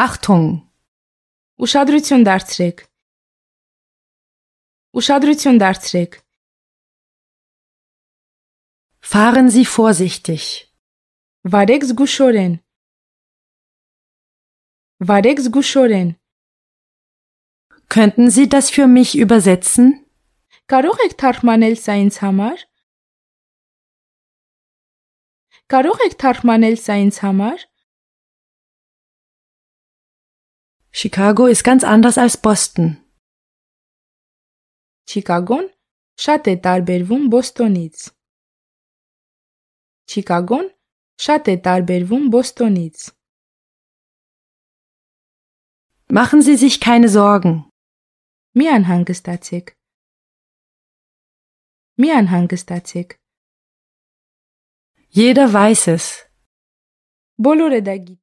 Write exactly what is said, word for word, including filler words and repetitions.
Achtung! Ուշադրություն դարձրեք։ Ուշադրություն դարձրեք։ Fahren Sie vorsichtig. Վարեք զգուշորեն։ Վարեք զգուշորեն։ Könnten Sie das für mich übersetzen? Կարող եք թարգմանել սա ինձ համար։ Կարող եք թարգմանել սա ինձ համար։ Chicago ist ganz anders als Boston. Չիկագոն շատ է տարբերվում Բոստոնից։ Չիկագոն շատ է տարբերվում Բոստոնից։ Machen Sie sich keine Sorgen. Մի անհանգստացեք։ Մի անհանգստացեք։ Jeder weiß es. Բոլորը դա գիտեն։